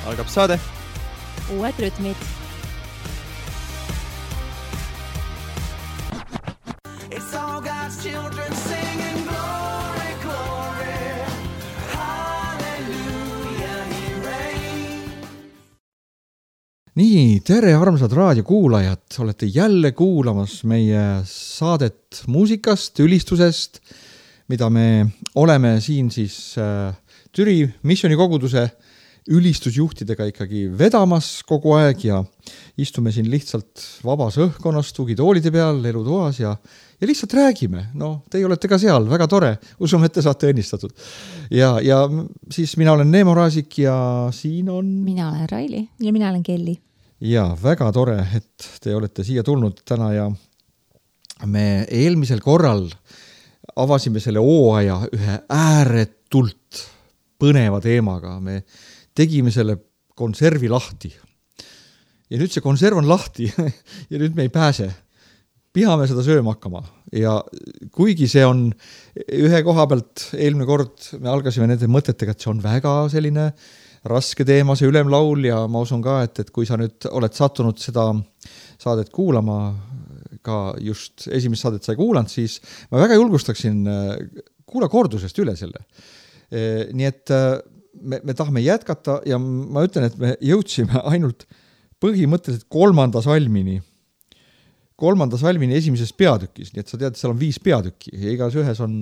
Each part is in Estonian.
Algab saade. Uued rütmid. It's all God's children singing glory, glory, hallelujah, he reigns. Nii, tere armsad raadiokuulajad, olete jälle kuulamas meie saadet muusikast, ülistusest, mida me oleme siin siis Türi Missioni koguduse ülistusjuhtidega ikkagi vedamas kogu aeg ja istume siin lihtsalt vabas õhkkonnas, tugitoolide peal, elutoas ja lihtsalt räägime. No, teie olete ka seal, väga tore, usume, et te saate õnnistatud. Ja siis mina olen Neemo Raasik ja siin on... Mina olen Raili ja mina olen Kelly. Ja väga tore, et te olete siia tulnud täna ja me eelmisel korral avasime selle hooaja ühe ääretult põneva teemaga. Me tegime selle konservi lahti. Ja nüüd see konserv on lahti ja nüüd me ei pääse. Pihame seda sööma hakkama. Ja kuigi see on ühe koha pealt eelmine kord, me algasime nende mõtetega, et see on väga selline raske teema, see ülemlaul ja ma usun ka, et kui sa nüüd oled sattunud seda saadet kuulama, ka just esimest saadet sai kuulanud, siis ma väga julgustaksin kuula kordusest üle selle. Nii et me tahame jätkata ja ma ütlen, et me jõudsime ainult põhimõtteliselt kolmanda salmini esimeses peatükis, nii et sa tead, et seal on 5 peatükki ja igas ühes on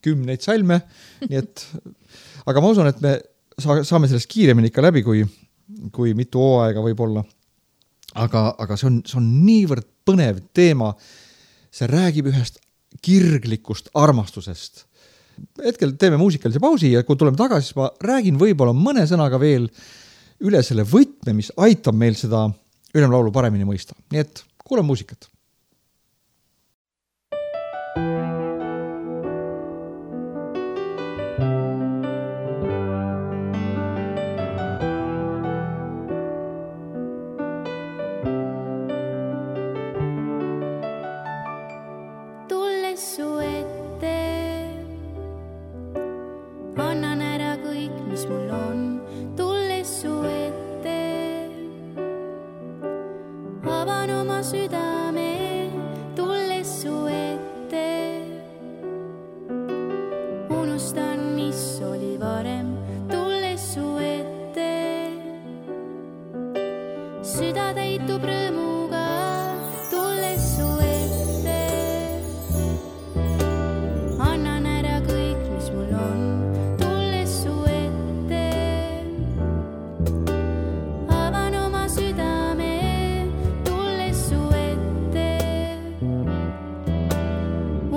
10 salme, nii et aga ma usun, et me saame sellest kiiremini ikka läbi, kui mitu hooaega võib olla. Aga see on niivõrd põnev teema, see räägib ühest kirglikust armastusest. Hetkel teeme muusikalise pausi ja kui tuleme tagasi, siis ma räägin võib-olla mõne sõnaga veel üle selle võtme, mis aitab meil seda ülemlaulu paremini mõista. Nii et kuule muusikat.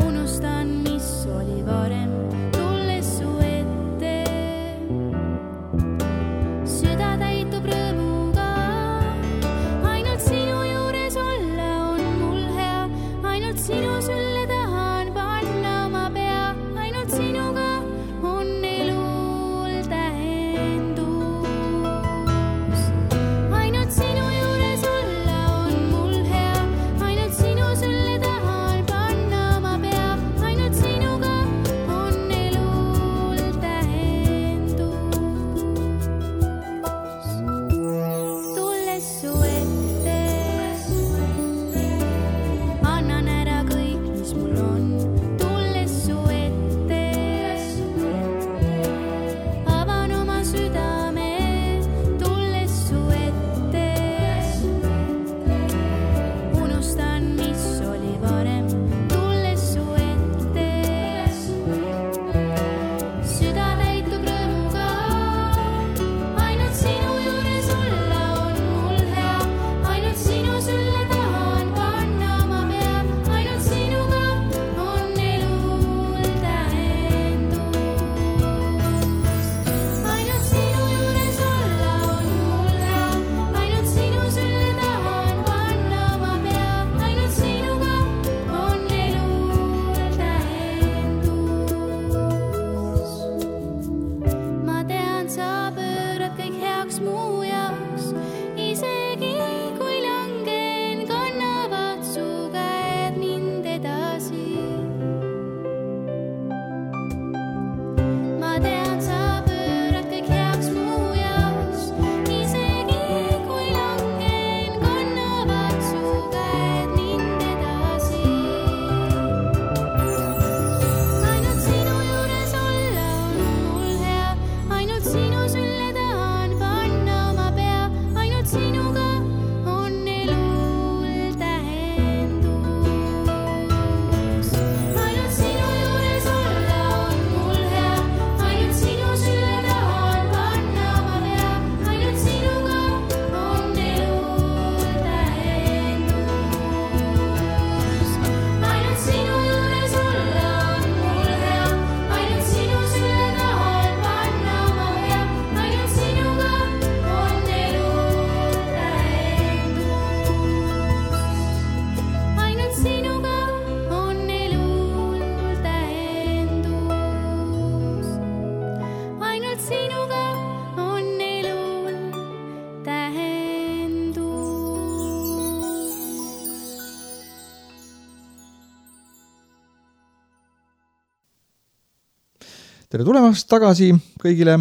Unustan, mis oli varem, tulles tere tulemast tagasi kõigile,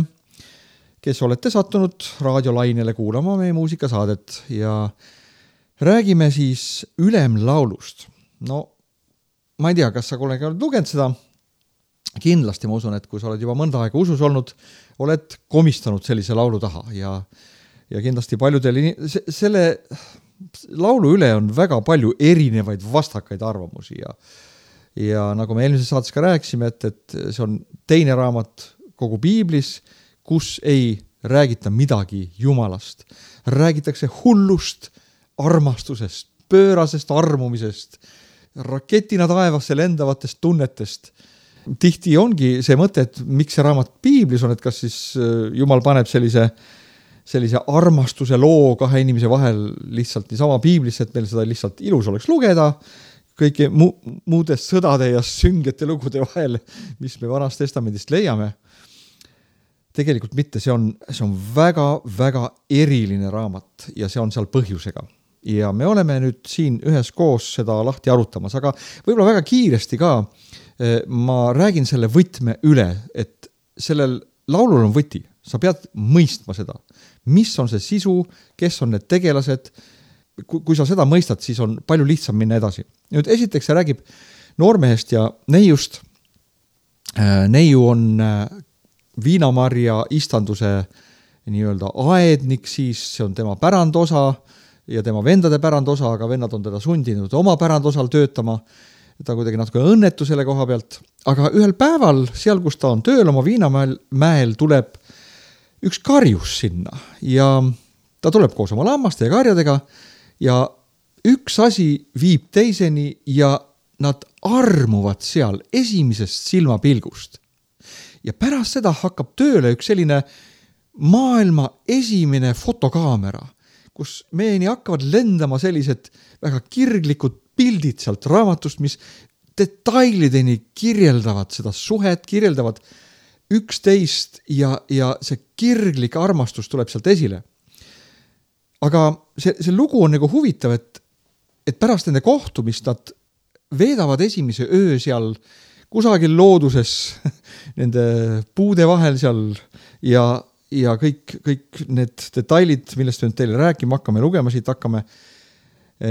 kes olete sattunud raadiolainele kuulama meie muusikasaadet ja räägime siis Ülemlaulust. No, ma ei tea, kas sa kollega oled lugenud seda. Kindlasti ma usun, et kui sa oled juba mõnda aega usus olnud, oled komistanud sellise laulu taha ja kindlasti paljudel selle laulu üle on väga palju erinevaid vastakaid arvamusi ja nagu me eelmises saates ka rääkisime, et see on teine raamat kogu Piiblis, kus ei räägita midagi Jumalast. Räägitakse hullust, armastusest, pöörasest armumisest, raketina taevasse lendavatest tunnetest. Tihti ongi see mõte, et miks see raamat Piiblis on, et kas siis Jumal paneb sellise armastuse loo kahe inimese vahel lihtsalt niisama Piiblisse, et meil seda lihtsalt ilus oleks lugeda, kõiki muudest sõdade ja süngete lugude vahel, mis me Vanast Testamendist leiame. Tegelikult mitte, see on väga, väga eriline raamat ja see on seal põhjusega. Ja me oleme nüüd siin ühes koos seda lahti arutamas, aga võib-olla väga kiiresti ka ma räägin selle võtme üle, et sellel laulul on võti. Sa pead mõistma seda. Mis on see sisu, kes on need tegelased. Kui sa seda mõistad, siis on palju lihtsam minna edasi. Nüüd esiteks see räägib noormehest ja neiust. Neiu on viinamarja istanduse nii-öelda aednik, siis see on tema pärandosa ja tema vendade pärandosa, aga vennad on teda sundinud oma pärandosal töötama. Ta kuidagi natuke õnnetu selle koha pealt, aga ühel päeval, seal kus ta on tööl oma viinamäel, tuleb üks karjus sinna ja ta tuleb koos oma lammaste ja karjadega ja üks asi viib teiseni ja nad armuvad seal esimesest silmapilgust. Ja pärast seda hakkab tööle üks selline maailma esimene fotokaamera, kus meieni hakkavad lendama sellised väga kirglikud pildid sealt raamatust, mis detailideni kirjeldavad seda suhet, kirjeldavad üksteist ja see kirglik armastus tuleb sealt esile. Aga see lugu on nagu huvitav, et pärast nende kohtumist nad veedavad esimese öö seal kusagil looduses nende puude vahel seal ja kõik need detailid, millest me teile rääkima hakkame, lugema siit hakkame,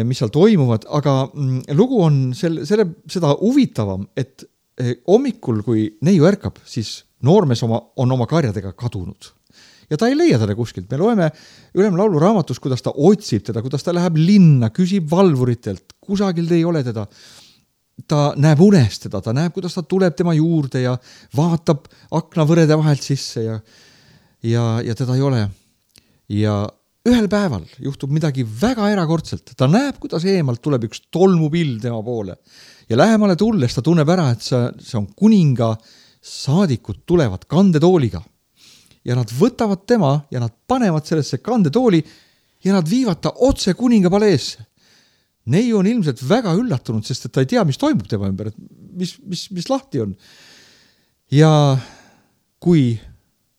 mis seal toimuvad, aga lugu on seda huvitavam, et hommikul, kui neiu ärkab, siis noormees on oma karjadega kadunud. Ja ta ei leia teda kuskilt. Me loeme Ülemlaulu raamatus, kuidas ta otsib teda, kuidas ta läheb linna, küsib valvuritelt, kusagil ei ole teda. Ta näeb unest teda, ta näeb, kuidas ta tuleb tema juurde ja vaatab aknavõrede vahelt sisse ja teda ei ole. Ja ühel päeval juhtub midagi väga erakordselt. Ta näeb, kuidas eemalt tuleb üks tolmupill tema poole. Ja lähemale tulles ta tunneb ära, et see on kuninga saadikud tulevad kandetooliga. Ja nad võtavad tema ja nad panevad sellesse kandetooli ja nad viivad ta otse kuninga paleesse. Neiu on ilmselt väga üllatunud, sest et ta ei tea, mis toimub tema ümber, et mis lahti on. Ja kui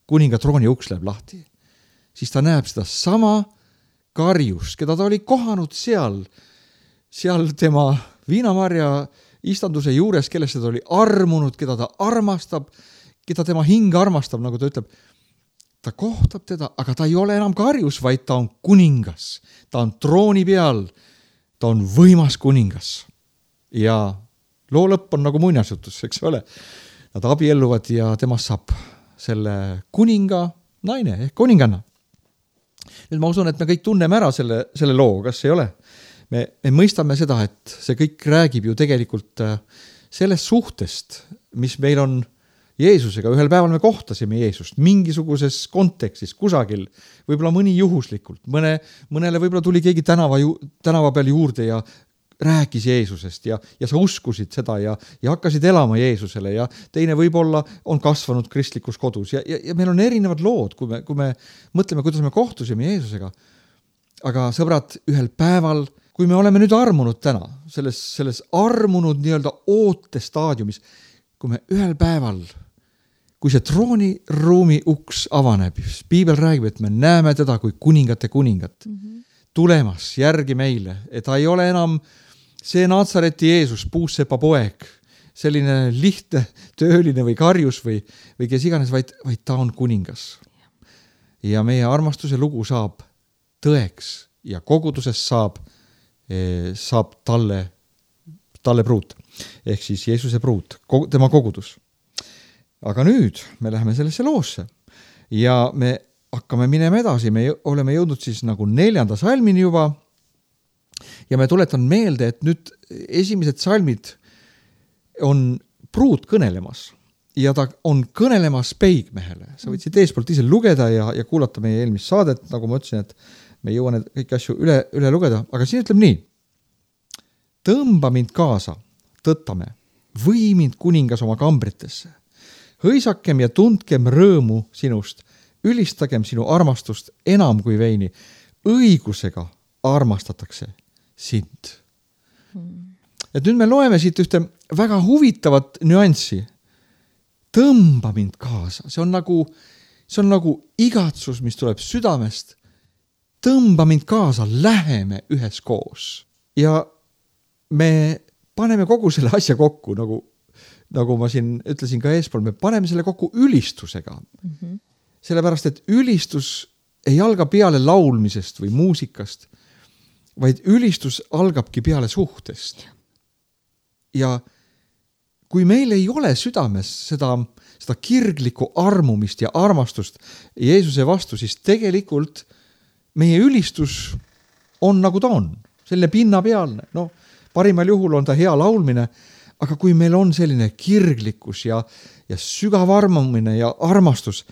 kuninga trooni uks läheb lahti, siis ta näeb seda sama karjust, keda ta oli kohanud seal tema viinamarja istanduse juures, kellest ta oli armunud, keda ta armastab, keda tema hing armastab, nagu ta ütleb. Ta kohtab teda, aga ta ei ole enam karjus, vaid ta on kuningas. Ta on trooni peal, ta on võimas kuningas. Ja loo lõpp on nagu muinasjutus, eks ole. Nad abielluvad ja temast saab selle kuninga naine ehk kuninganna. Nüüd ma usun, et me kõik tunneme ära selle loo, kas ei ole? Me mõistame seda, et see kõik räägib ju tegelikult sellest suhtest, mis meil on Jeesusega. Ühel päeval me kohtasime Jeesust mingisuguses kontekstis, kusagil, võib-olla mõni juhuslikult. Mõnele võib-olla tuli keegi tänava peal juurde ja rääkis Jeesusest ja sa uskusid seda ja hakkasid elama Jeesusele ja teine võib-olla on kasvanud kristlikus kodus ja meil on erinevad lood, kui me mõtleme, kuidas me kohtusime Jeesusega. Aga sõbrad, ühel päeval, kui me oleme nüüd armunud täna, selles armunud nii-öelda ootestaadiumis, kui me ühel päeval, kui see trooniruumi uks avaneb, Piibel räägib, et me näeme teda kui kuningate kuningat tulemas järgi meile, et ta ei ole enam see Natsareti Jeesus, puussepa poeg, selline lihtne tööline või karjus või kes iganes, vaid ta on kuningas. Ja meie armastuse lugu saab tõeks ja koguduses saab talle pruut. Ehk siis Jeesuse pruut, tema kogudus. Aga nüüd me läheme sellesse loosse ja me hakkame minema edasi. Me oleme jõudnud siis nagu 4. salmini juba ja me tuletan meelde, et nüüd esimesed salmid on pruut kõnelemas ja ta on kõnelemas peigmehele. Sa võid siit eespoolt ise lugeda ja kuulata meie eelmist saadet, nagu ma ütlesin, et me ei jõua need kõiki asju üle lugeda, aga siin ütleb nii. Tõmba mind kaasa, tõttame, või mind kuningas oma kambritesse. Hõisakem ja tundkem rõõmu sinust, ülistagem sinu armastust enam kui veini. Õigusega armastatakse sind. Et nüüd me loeme siit ühte väga huvitavat nüanssi. Tõmba mind kaasa. See on nagu igatsus, mis tuleb südamest. Tõmba mind kaasa, läheme üheskoos. Ja me paneme kogu selle asja kokku, nagu ma siin ütlesin ka eespool, me paneme selle kokku ülistusega. Sellepärast, et ülistus ei alga peale laulmisest või muusikast, vaid ülistus algabki peale suhtest. Ja kui meil ei ole südames seda kirglikku armumist ja armastust Jeesuse vastu, siis tegelikult meie ülistus on nagu ta on, selline pinnapealne. Parimal juhul on ta hea laulmine, aga kui meil on selline kirglikkus ja sügav armumine ja armastus,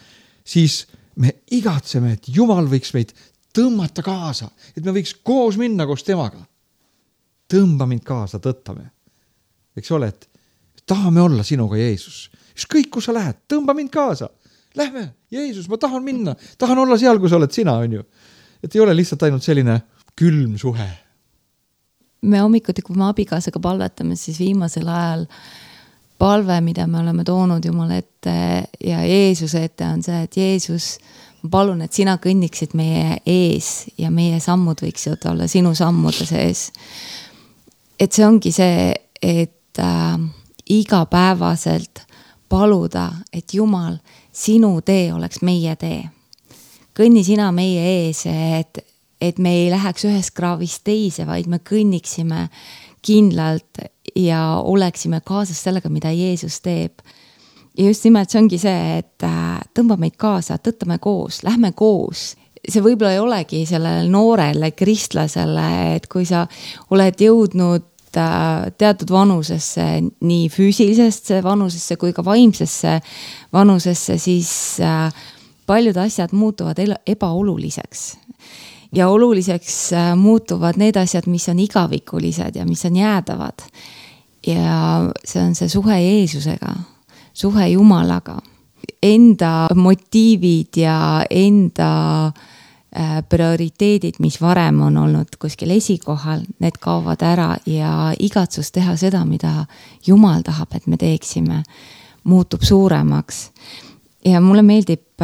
siis me igatseme, et Jumal võiks meid tõmmata kaasa, et me võiks koos minna koos temaga. Tõmba mind kaasa, tõttame. Eks ole, et tahame olla sinuga, Jeesus. Ükskõik, kus sa lähed, tõmba mind kaasa. Lähme, Jeesus, ma tahan minna. Tahan olla seal, kus oled sina, on ju. Et ei ole lihtsalt ainult selline külm suhe. Me hommikuti, kui me abikaasaga palvetame, siis viimasel ajal palve, mida me oleme toonud Jumala ette ja Jeesuse ette on see, et Jeesus, ma palun, et sina kõnniksid meie ees ja meie sammud võiksid olla sinu sammude sees. Et see ongi see, et igapäevaselt paluda, et Jumal, sinu tee oleks meie tee. Kõnni sina meie ees, et me ei läheks ühest kraavist teise, vaid me kõnniksime kindlalt ja oleksime kaasas sellega, mida Jeesus teeb. Ja just nimelt see ongi see, et tõmba meid kaasa, tõttame koos, lähme koos. See võib-olla ei olegi sellele noorele kristlasele, et kui sa oled jõudnud teatud vanusesse, nii füüsilisesse vanusesse kui ka vaimsesse vanusesse, siis paljud asjad muutuvad ebaoluliseks. Ja oluliseks muutuvad need asjad, mis on igavikulised ja mis on jäädavad. Ja see on see suhe Jeesusega, suhe Jumalaga. Enda motiivid ja enda prioriteedid, mis varem on olnud kuskil esikohal, need kaovad ära ja igatsus teha seda, mida Jumal tahab, et me teeksime, muutub suuremaks. Ja mulle meeldib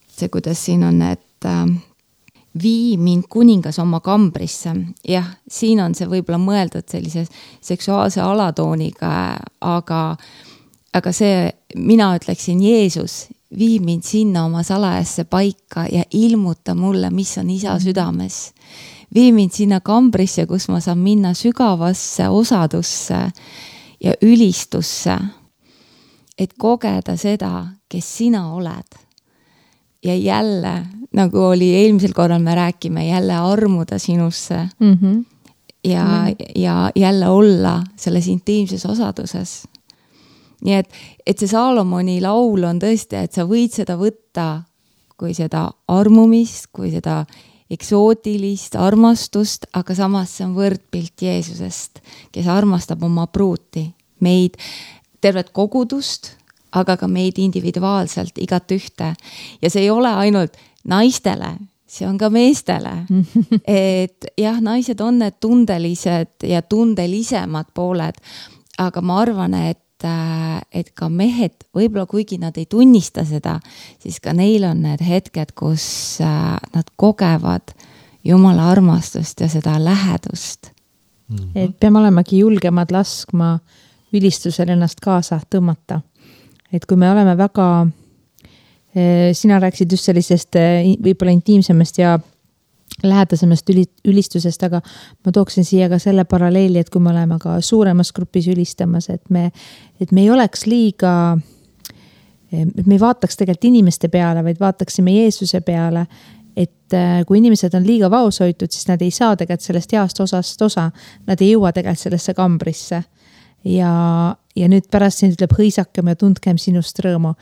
see, kuidas siin on, et vii mind kuningas oma kambrisse. Jah, siin on see võib-olla mõeldud sellise seksuaalse alatooniga, aga see, mina ütleksin Jeesus, vii mind sinna oma salajasse paika ja ilmuta mulle, mis on isa südames. Vii mind sinna kambrisse, kus ma saan minna sügavasse osadusse ja ülistusse, et kogeda seda, kes sina oled. Ja jälle, nagu oli eelmisel korral me rääkime, jälle armuda sinusse ja jälle olla selles intiimses osaduses. Nii et see Saalomoni laul on tõesti, et sa võid seda võtta kui seda armumist, kui seda eksootilist armastust, aga samas see on võrdpilt Jeesusest, kes armastab oma pruuti, meid tervet kogudust, aga ka meid individuaalselt igat ühte. Ja see ei ole ainult naistele, see on ka meestele. Et jah, naised on need tundelised ja tundelisemad pooled, aga ma arvan, et ka mehed, võib-olla kuigi nad ei tunnista seda, siis ka neil on need hetked, kus nad kogevad Jumala armastust ja seda lähedust. Et peame olemagi julgemad laskma ülistusel ennast kaasa tõmmata. Et kui me oleme väga, sina rääkisid just sellisest võib-olla intiimsemast ja lähedasemast ülistusest, aga ma tooksin siia ka selle paralleeli, et kui me oleme ka suuremas grupis ülistamas, et me ei oleks liiga, et me ei vaataks tegelikult inimeste peale, vaid vaataksime Jeesuse peale, et kui inimesed on liiga vaoshoitud, siis nad ei saa tegelikult sellest heast osast osa, nad ei jõua tegelikult sellesse kambrisse. Ja nüüd pärast siin ütleb hõisakem ja tundkem sinust rõõmu.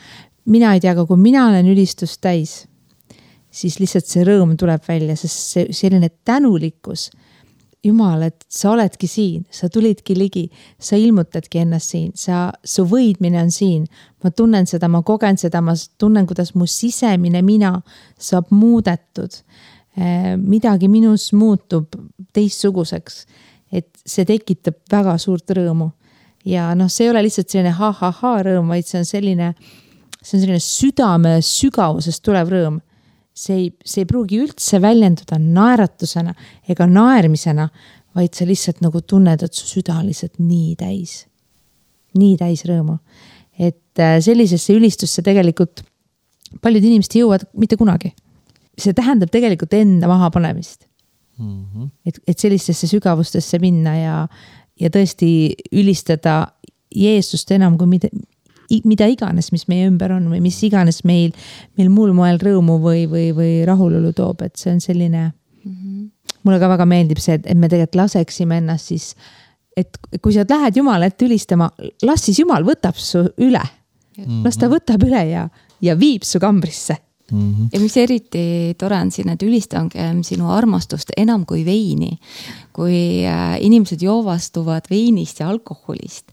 Mina ei tea, aga kui mina olen ülistust täis, siis lihtsalt see rõõm tuleb välja, sest see selline tänulikkus, Jumal, et sa oledki siin, sa tulidki ligi, sa ilmutadki ennast siin, su võidmine on siin, ma tunnen seda, ma kogen seda, ma tunnen, kuidas mu sisemine mina saab muudetud, midagi minus muutub teistsuguseks, et see tekitab väga suurt rõõmu. Ja see ei ole lihtsalt selline ha-ha-ha rõõm, vaid see on selline südame sügavusest tulev rõõm. See ei pruugi üldse väljenduda naeratusena ega naermisena, vaid sa lihtsalt nagu tunned, et su süda on lihtsalt nii täis rõõmu. Et sellisesse ülistusse tegelikult paljud inimesed jõuavad mitte kunagi. See tähendab tegelikult enda mahapanemist. Et sellistesse sügavustesse minna ja tõesti ülistada Jeesust enam kui mida iganes, mis meie ümber on või mis iganes meil muul moel rõõmu või rahulolu toob, et see on selline, mulle ka väga meeldib see, et me tegelikult laseksime ennast siis, et kui sa lähed Jumala ette ülistama, las siis Jumal võtab su üle, las ta võtab üle ja viib su kambrisse. Ja mis eriti tore on siin, et ülistangem sinu armastust enam kui veini, kui inimesed joovastuvad veinist ja alkoholist,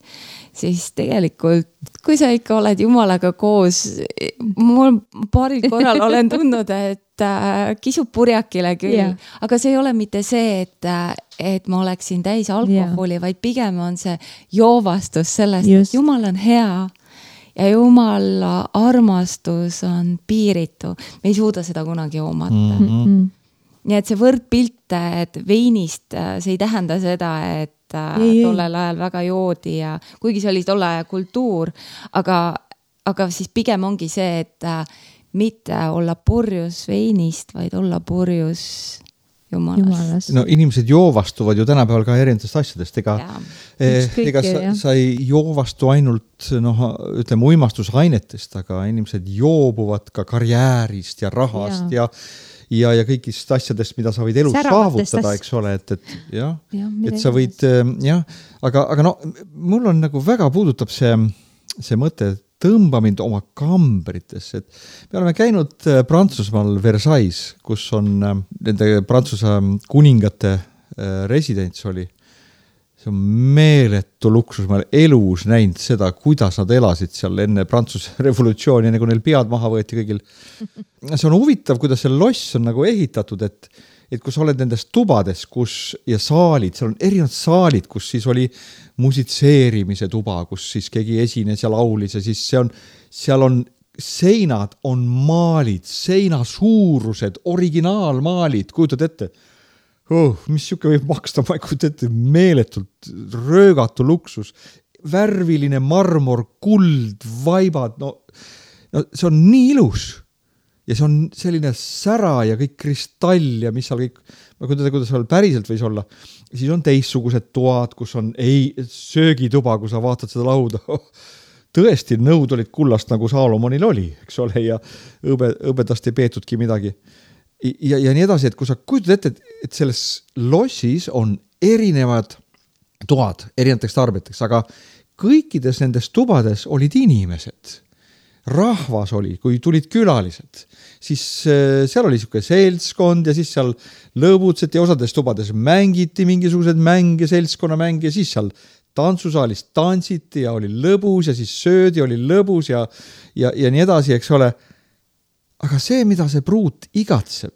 siis tegelikult, kui sa ikka oled Jumalaga koos, mul paaril korral olen tundnud, et kisub purjakile küll, aga see ei ole mitte see, et ma oleksin täis alkoholi, vaid pigem on see joovastus sellest, et Jumal on hea ja Jumala armastus on piiritu. Me ei suuda seda kunagi omata. Nii et see võrdpilt, et veinist, see ei tähenda seda, et tollel ajal väga joodi ja kuigi see oli tolle kultuur, aga siis pigem ongi see, et mitte olla purjus veinist, vaid olla purjus Jumalast. No inimesed joovastuvad ju tänapäeval ka erinevatest asjadest, ega sa ei joovastu ainult ütleme uimastusainetest, aga inimesed joobuvad ka karjäärist ja rahast ja kõigist asjadest, mida sa võid elus saavutada, eks ole, et sa võid, aga mul on nagu väga puudutab see mõte, tõmba mind oma kambritesse, et me oleme käinud Prantsusmaal Versailles, kus on nende Prantsuse kuningate residents oli. See on meeletu luksus, ma olen elus näinud seda, kuidas nad elasid seal enne Prantsuse revolutsiooni, enne kui neil pead maha võeti kõigil. See on huvitav, kuidas see loss on nagu ehitatud, et kui sa oled nendes tubades ja saalid, seal on erinevad saalid, kus siis oli musitseerimise tuba, kus siis keegi esines ja laulis ja siis seal on seinad, on maalid, seina suurused, originaalmaalid, kujutad ette? Mis siuke võib maksta, ma ei kujuta ette, meeletult röögatu luksus, värviline marmor, kuld, vaibad, see on nii ilus ja see on selline sära ja kõik kristall ja mis seal kõik, ma kujutan, kuidas seal päriselt võis olla, siis on teistsugused toad, kus on söögituba, kui sa vaatad seda lauda, tõesti nõud olid kullast nagu Saalomonil oli, eks ole, ja õbedast ei peetudki midagi. Ja nii edasi, et kui sa kujutad ette, et selles lossis on erinevad toad erinevateks tarbijateks, aga kõikides nendes tubades olid inimesed. Rahvas oli, kui tulid külalised, siis seal oli siuke seltskond ja siis seal lõbutseti ja osades tubades mängiti mingisugused mänge, seltskonna mänge ja siis seal tantsusaalis tantsiti ja oli lõbus ja siis söödi, oli lõbus ja nii edasi, eks ole. Aga see, mida see pruut igatseb,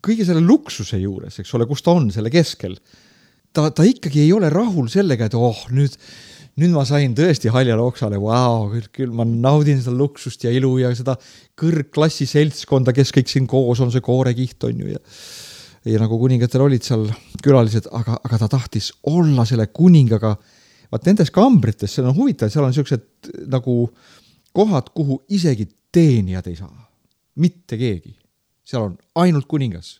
kõige selle luksuse juures, eks ole, kus ta on selle keskel, ta ikkagi ei ole rahul sellega, et nüüd ma sain tõesti haljale oksale, küll ma naudin seda luksust ja ilu ja seda kõrgklassi seltskonda, kes kõik siin koos on, see koorekiht on ju ja nagu kuningatel olid seal külalised, aga ta tahtis olla selle kuningaga vaat nendes kambrites, see on huvitav, seal on sellised nagu kohad, kuhu isegi teenijad ei saa. Mitte keegi. Seal on ainult kuningas.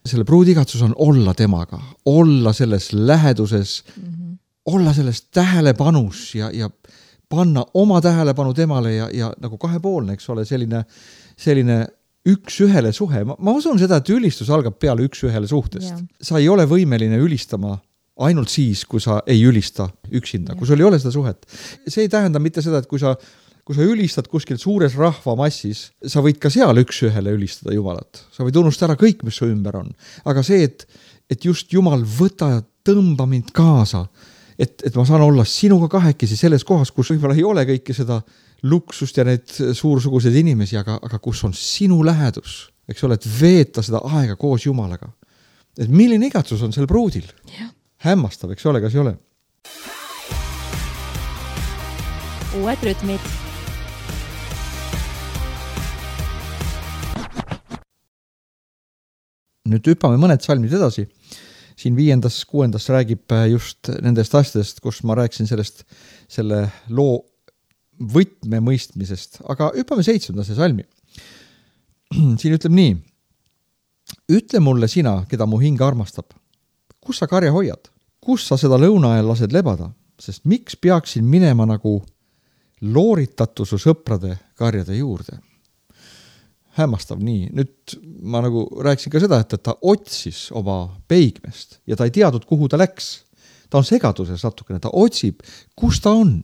Selle pruudigatsus on olla temaga, olla selles läheduses, olla selles tähelepanus ja panna oma tähelepanu temale ja nagu kahepoolne, eks ole, selline üks-ühele suhe. Ma usun seda, et ülistus algab peale üks-ühele suhtest. Jah. Sa ei ole võimeline ülistama ainult siis, kui sa ei ülista üksinda, kui sul ei ole seda suhet. See ei tähenda mitte seda, et kui sa ülistad kuskil suures rahvamassis, sa võid ka seal üks-ühele ülistada Jumalat. Sa võid unustada ära kõik, mis su ümber on. Aga see, et just Jumal võta ja tõmba mind kaasa, et ma saan olla sinuga kahekesi selles kohas, kus võib-olla ei ole kõike seda luksust ja need suursuguseid inimesi, aga kus on sinu lähedus, eks ole, et veeta seda aega koos Jumalaga. Et milline igatsus on sel pruudil? Jah. Hämmastav, eks ole, kas ei ole? Uued rütmid. Nüüd hüppame mõned salmid edasi. Siin 5., 6. räägib just nendest asjadest, kus ma rääkisin selle loo võtme mõistmisest. Aga hüppame 7. salmi. Siin ütleb nii. Ütle mulle sina, keda mu hing armastab. Kus sa karja hoiad? Kus sa seda lõuna ajal lased lebada? Sest miks peaksin minema nagu looritatu su sõprade karjade juurde? Hämmastav nii. Nüüd ma nagu rääkisin ka seda, et ta otsis oma peigmest ja ta ei teadnud, kuhu ta läks. Ta on segaduses natukene, ta otsib, kus ta on.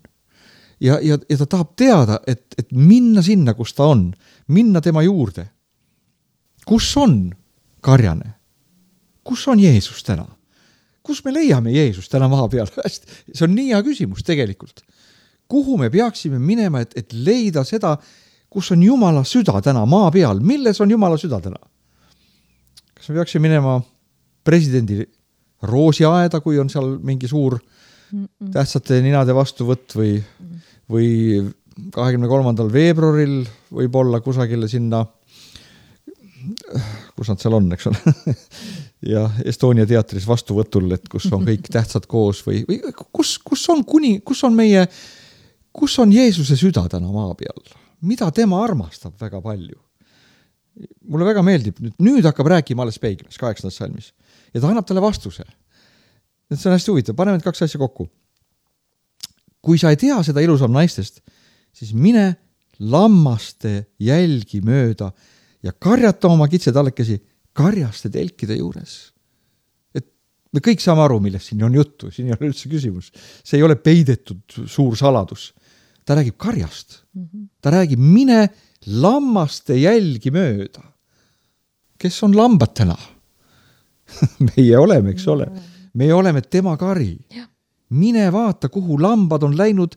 Ja ta tahab teada, et minna sinna, kus ta on. Minna tema juurde. Kus on karjane? Kus on Jeesus täna? Kus me leiame Jeesus täna maa peal? See on nii hea küsimus tegelikult. Kuhu me peaksime minema, et leida seda, kus on Jumala süda täna maa peal? Milles on Jumala süda täna? Kas me peaksime minema presidendi roosiaeda, kui on seal mingi suur tähtsate ninade vastuvõtt või 23. veebruaril võib olla kusagile sinna, kus nad seal on, eks ole, ja Estonia teatris vastuvõtul, et kus on kõik tähtsad koos või kus on Jeesuse süda täna maa peal? Mida tema armastab väga palju? Mulle väga meeldib, nüüd hakkab rääkima alles peigmes, 8. salmis. Ja ta annab talle vastuse. See on hästi huvitav, paneme need 2 asja kokku. Kui sa ei tea seda ilusam naistest, siis mine lammaste jälgi mööda ja karjata oma kitsetallekesi karjaste telkide juures. Et me kõik saame aru, millest siin on juttu, siin ei ole üldse küsimus. See ei ole peidetud suur saladus. Ta räägib karjast. Ta räägib, mine lammaste jälgi mööda. Kes on lambad täna? Meie oleme, eks ole. Me oleme tema kari. Mine vaata, kuhu lambad on läinud.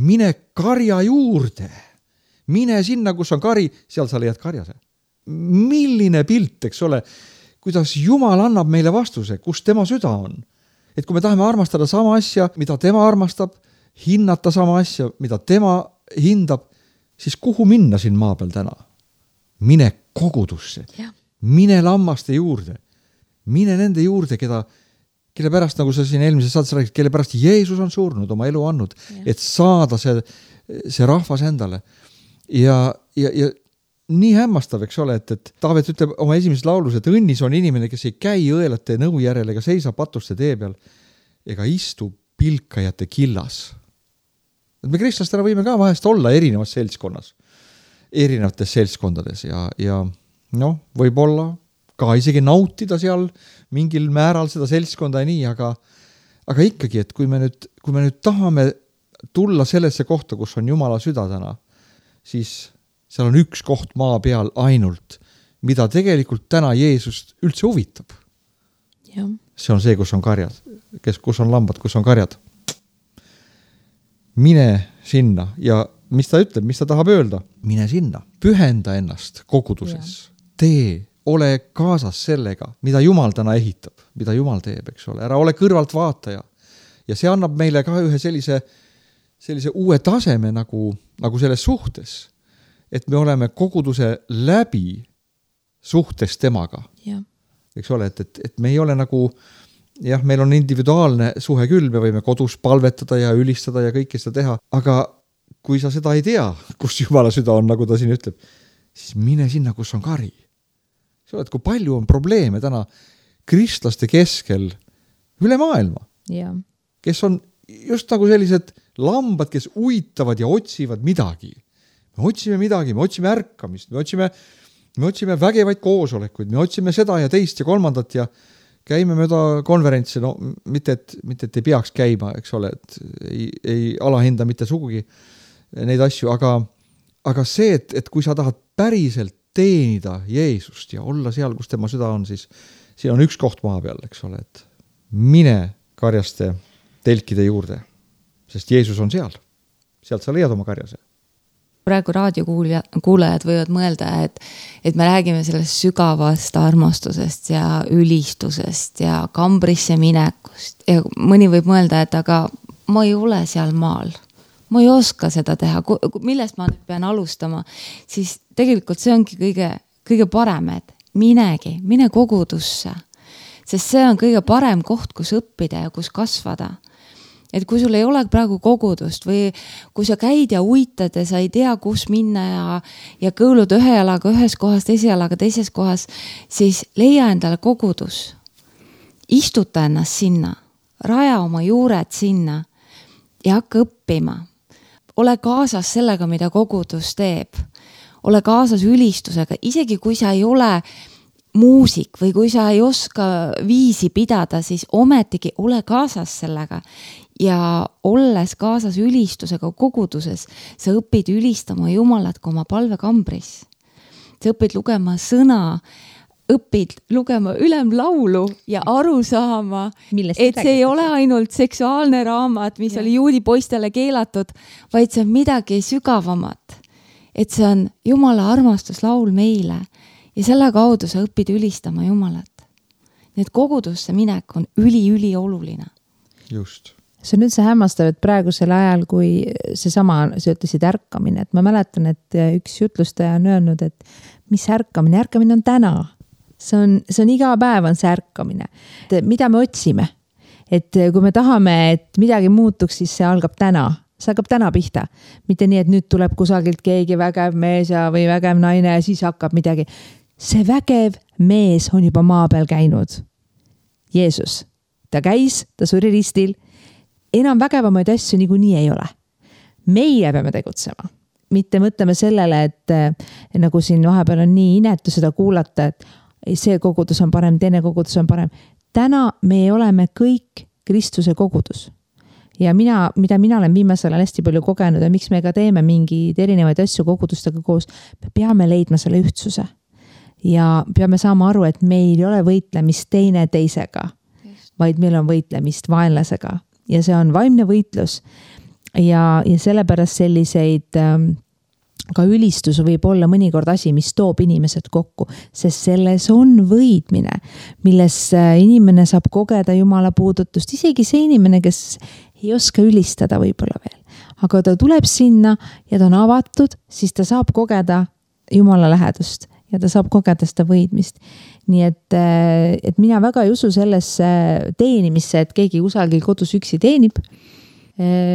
Mine karja juurde. Mine sinna, kus on kari, seal sa leiad karjase. Milline pilt, eks ole, kuidas Jumal annab meile vastuse, kus tema süda on. Et kui me tahame armastada sama asja, mida tema armastab, hinnata sama asja, mida tema hindab, siis kuhu minna siin maa peal täna? Mine kogudusse. Mine lammaste juurde. Mine nende juurde, kelle pärast, nagu sa siin eelmises saates räägid, kelle pärast Jeesus on surnud, oma elu andnud, et saada see rahvas endale. Ja nii hämmastav, eks ole, et Taavet ütleb oma esimeses laulus, et õnnis on inimene, kes ei käi õelate nõu järel ega seisa patuste tee peal ega istu pilkajate killas. Et me kristlastena võime ka vahest olla erinevates seltskondades ja võib-olla ka isegi nautida seal mingil määral seda seltskonda ja nii, aga ikkagi, et kui me nüüd tahame tulla sellesse kohta, kus on Jumala süda täna, siis seal on üks koht maa peal ainult, mida tegelikult täna Jeesust üldse huvitab. Ja. See on see, kus on karjad, kus on lambad, kus on karjad. Mine sinna ja mis ta ütleb, mis ta tahab öelda? Mine sinna, pühenda ennast koguduses, tee, ole kaasas sellega, mida Jumal täna ehitab, mida Jumal teeb, eks ole, ära ole kõrvalt vaataja. Ja see annab meile ka ühe sellise uue taseme nagu selles suhtes, et me oleme koguduse läbi suhtes temaga. Ja. Eks ole, et me ei ole nagu jah, meil on individuaalne suhe küll, me võime kodus palvetada ja ülistada ja kõike seda teha, aga kui sa seda ei tea, kus Jumala süda on, nagu ta siin ütleb, siis mine sinna, kus on kari. Sa oled, kui palju on probleeme täna kristlaste keskel üle maailma, kes on just nagu sellised lambad, kes uitavad ja otsivad midagi. Me otsime midagi, me otsime ärkamist, me otsime vägevaid koosolekuid, me otsime seda ja teist ja kolmandat ja käime mööda konverentsi, no mitte et ei peaks käima, eks ole, et ei alahinda mitte sugugi neid asju, aga see, et kui sa tahad päriselt teenida Jeesust ja olla seal, kus tema süda on, siis siin on üks koht maa peal, eks ole, et mine karjaste telkide juurde, sest Jeesus on seal. Sealt sa leiad oma karjase. Praegu raadiokuulajad võivad mõelda, et me räägime sellest sügavast armastusest ja ülistusest ja kambrisse minekust. Ja mõni võib mõelda, et aga ma ei ole seal maal. Ma ei oska seda teha. Millest ma nüüd pean alustama? Siis tegelikult see ongi kõige parem, et mine kogudusse. Sest see on kõige parem koht, kus õppida ja kus kasvada. Et kui sul ei ole praegu kogudust või kui sa käid ja uitad ja sa ei tea, kus minna ja kõõlud ühe jalaga ühes kohas, teise jalaga teises kohas, siis leia endale kogudus. Istuta ennast sinna, raja oma juured sinna ja hakka õppima. Ole kaasas sellega, mida kogudus teeb. Ole kaasas ülistusega, isegi kui sa ei ole muusik või kui sa ei oska viisi pidada, siis ometigi ole kaasas sellega. Ja olles kaasas ülistusega koguduses, sa õpid ülistama Jumalat kui oma palvekambris. Sa õpid lugema sõna, õpid lugema ülemlaulu ja aru saama, et see ei ole ainult seksuaalne raamat, mis oli juudi poistele keelatud, vaid see on midagi sügavamat. Et see on Jumala armastuslaul meile ja selle kaudu sa õpid ülistama Jumalat. Nii et kogudusse minek on üli oluline. Just. See on üldse hämmastav, et praegusel ajal, kui seesama, sa ütlesid ärkamine, et ma mäletan, et üks jutlustaja on öelnud, et mis ärkamine on täna. See on iga päev on see ärkamine. Mida me otsime? Et kui me tahame, et midagi muutuks, siis see algab täna. See hakkab täna pihta. Mitte nii, et nüüd tuleb kusagilt keegi vägev mees või vägev naine ja siis hakkab midagi. See vägev mees on juba maa peal käinud. Jeesus. Ta käis, ta suri ristil. Enam vägevamaid asju niikuinii ei ole. Meie peame tegutsema. Mitte mõtleme sellele, et nagu siin vahepeal on nii inetu seda kuulata, et see kogudus on parem, teine kogudus on parem. Täna me oleme kõik Kristuse kogudus. Ja mida mina olen viimasel ajal hästi palju kogenud ja miks me ka teeme mingeid erinevaid asju kogudustega koos, me peame leidma selle ühtsuse. Ja peame saama aru, et meil ei ole võitlemist teine teisega, vaid meil on võitlemist vaenlasega. Ja see on vaimne võitlus ja sellepärast selliseid ka ülistus võib olla mõnikord asi, mis toob inimesed kokku, sest selles on võidmine, milles inimene saab kogeda Jumala puudutust, isegi see inimene, kes ei oska ülistada võib-olla veel. Aga ta tuleb sinna ja ta on avatud, siis ta saab kogeda Jumala lähedust ja ta saab kogeda seda võidmist. Nii et mina väga ei usu sellesse teenimisse, et keegi kusagil kodus üksi teenib.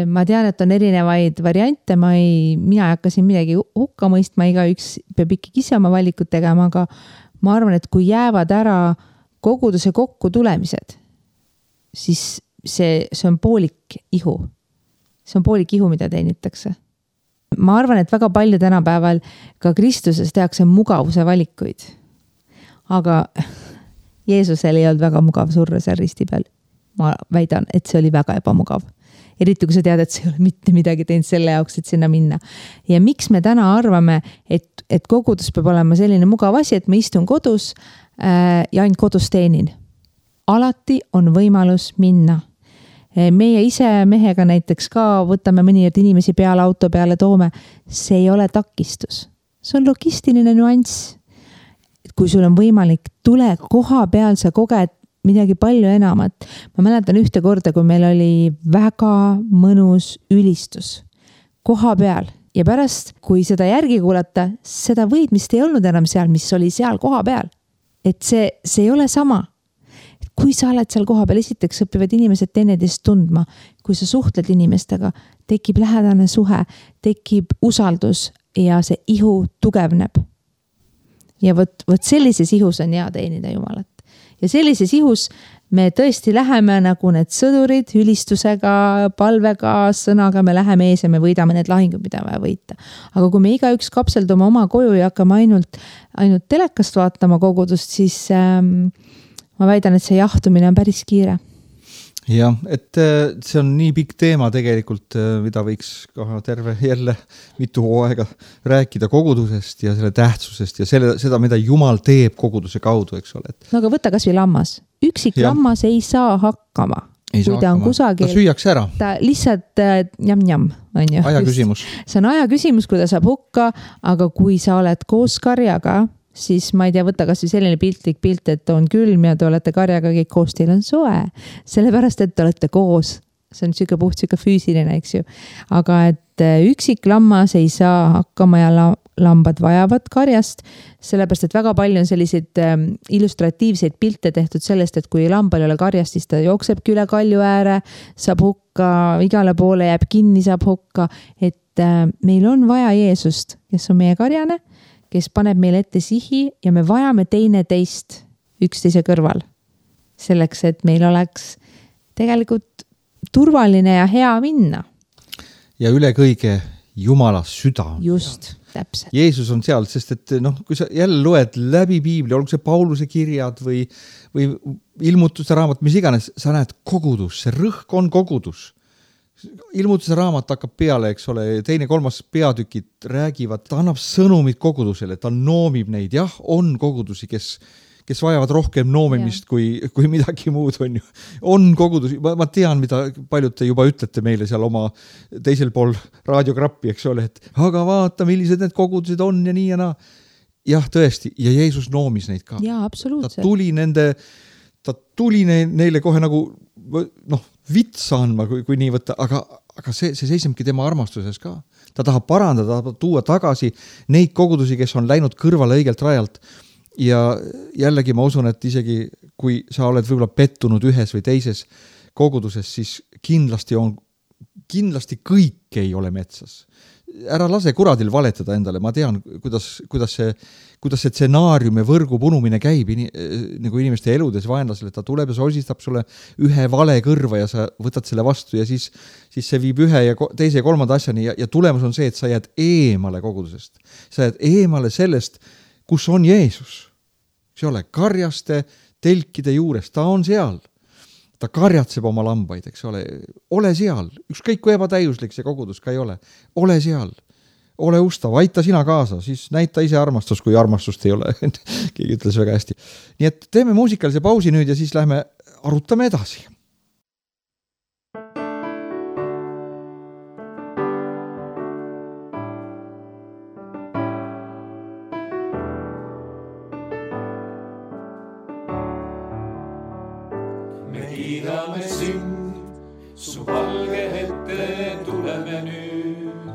Ma tean, et on erinevaid variante, mina ei hakka siin midagi hukka mõistma, igaüks peab ikkagi ise oma valikut tegema, aga ma arvan, et kui jäävad ära koguduse kokku tulemised, siis see on poolik ihu. See on poolik ihu, mida teenitakse. Ma arvan, et väga palju tänapäeval ka Kristuses tehakse mugavuse valikuid. Aga Jeesusel ei olnud väga mugav surra seal risti peal. Ma väidan, et see oli väga ebamugav. Eriti kui sa tead, et see ei ole mitte midagi teinud selle jaoks, et sinna minna. Ja miks me täna arvame, et kogudus peab olema selline mugav asi, et ma istun kodus ja ainult kodus teenin. Alati on võimalus minna. Meie ise mehega näiteks ka võtame mõnikord inimesi peale auto peale toome. See ei ole takistus. See on logistiline nüanss. Kui sul on võimalik, tule koha peal, sa koged midagi palju enamat. Ma mäletan ühte korda, kui meil oli väga mõnus ülistus koha peal ja pärast, kui seda järgi kuulata, seda võidmist ei olnud enam seal, mis oli seal koha peal. Et see ei ole sama. kui sa oled seal koha peal, esiteks õpivad inimesed teineteist tundma, kui sa suhtled inimestega, tekib lähedane suhe, tekib usaldus ja see ihu tugevneb. Ja võt sellises ihus on hea teenida Jumalat. Ja sellises ihus me tõesti läheme nagu need sõdurid ülistusega, palvega, sõnaga, me läheme ees ja me võidame need lahingud, mida vaja võita. Aga kui me igaüks kapseldume oma koju ja hakkame ainult telekast vaatama kogudust, siis ma väidan, et see jahtumine on päris kiire. Jah, et see on nii pikk teema tegelikult, mida võiks ka terve jälle mitu hooaega rääkida kogudusest ja selle tähtsusest ja seda, mida Jumal teeb koguduse kaudu, eks ole. No aga võta kas või lammas. Üksik lammas ei saa hakkama. Kui ta on kusagil. Ta süüaks ära. Ta lihtsalt njam, on ju. Aja küsimus. See on aja küsimus, kui ta saab hukka, aga kui sa oled koos karjaga, siis ma ei tea, võtta kas või selline piltlik pilt, et on külm ja te olete karjaga kõik koos, teil on soe. Sellepärast, et te olete koos. See on siuke puht, siuke füüsiline, eks ju. Aga et üksik lammas ei saa hakkama ja lambad vajavad karjast, sellepärast, et väga palju on selliseid illustratiivseid pilte tehtud sellest, et kui lambal ei ole karjast, siis ta jooksebki üle kalju ääre, saab hukka, igale poole jääb kinni, saab hukka, et meil on vaja Jeesust, kes on meie karjane, kes paneb meile ette sihi ja me vajame teine teist üksteise kõrval. Selleks, et meil oleks tegelikult turvaline ja hea minna. Ja üle kõige Jumala süda. Just, täpselt. Jeesus on seal, sest et kui sa jälle loed läbi Piibli, olgu see Pauluse kirjad või ilmutuste raamat, mis iganes, sa näed kogudus, see rõhk on kogudus. Ilmutuse raamat hakkab peale, eks ole, 2.-3. peatükid räägivad, ta annab sõnumid kogudusele, ta noomib neid. Jah, on kogudusi, kes vajavad rohkem noomimist kui midagi muud on ju. On kogudusi, ma tean, mida paljud te juba ütlete meile seal oma teisel pool raadiokrappi, eks ole, et aga vaata, millised need kogudused on ja nii ja naa. Jah, tõesti, ja Jeesus noomis neid ka. Jaa, absoluutselt. Ta tuli neile kohe nagu vitsa andma, kui nii võtta, aga see seisnebki tema armastuses ka. Ta tahab parandada, tuua tagasi neid kogudusi, kes on läinud kõrvale õigelt rajalt. Ja jällegi ma usun, et isegi kui sa oled võib-olla pettunud ühes või teises koguduses, siis kindlasti kõik ei ole metsas. Ära lase kuradil valetada endale, ma tean, kuidas see stsenaarium ja võrgu punumine käib nagu inimeste eludes vaenlasele, ta tuleb ja sosistab sulle ühe vale kõrva ja sa võtad selle vastu ja siis see viib ühe ja teise ja kolmanda asjani ja tulemus on see, et sa jääd eemale kogudusest. Sa jääd eemale sellest, kus on Jeesus. See ole karjaste telkide juures, ta on seal. Ta karjatseb oma lambaid, eks ole seal. Ükskõik kui ebatäiuslik see kogudus ka ei ole. Ole seal. Ole ustav, aita sina kaasa, siis näita ise armastus, kui armastust ei ole. Keegi ütles väga hästi. Nii et teeme muusikalise pausi nüüd ja siis lähme arutame edasi. Kiidame sind, su valge ette tuleme nüüd.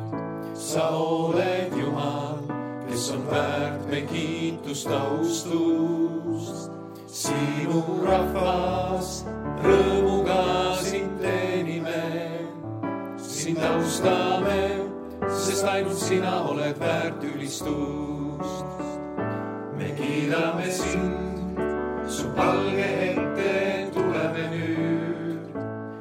Sa oled Jumal, kes on väärt me kiitust, austust. Sinu rahvas rõõmuga sind teenime. Sind austame, sest ainult sina oled väärt ülistust. Me kiidame sind, su valge ette tuleme nüüd.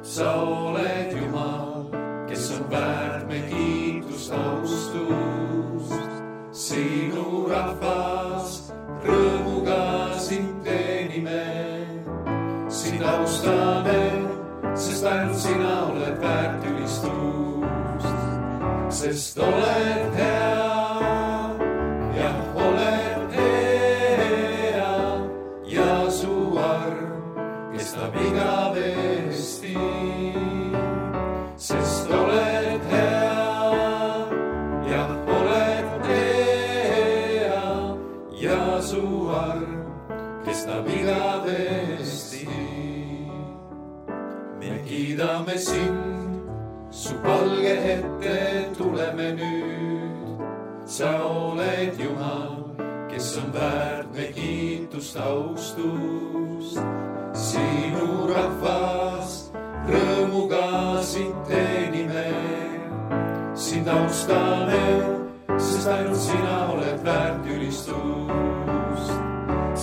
Sa oled Jumal, kes on väärt me kiitust, austust. Sinu rahvas rõõmuga sind teenime. Sind austame, sest ainult sina oled väärt ülistust. Sest oled hea, jah, oled hea ja su arm kestab igavesti. Sest oled hea, jah, oled hea ja su arm kestab igavesti. Me kiidame sind, su palge ette tuleme nüüd. Sa oled Jumal, kes on väärt me kiitust, austust. sinu rahvas rõõmuga sind teenime. Sind austame, sest ainult sina oled väärt ülistust.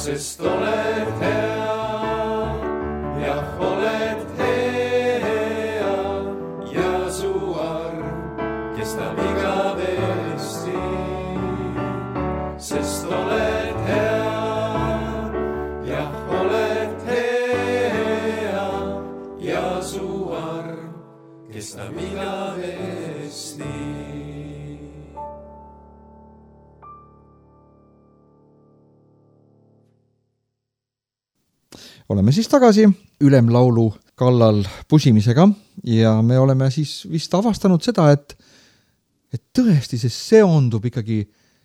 Sest oled hea, jah, oled hea ja su arm kestab igavesti. Sest oled hea, jah, oled hea ja su arm kestab igavesti. Oleme siis tagasi ülemlaulu kallal pusimisega ja me oleme siis vist avastanud seda, et tõesti see seondub ikkagi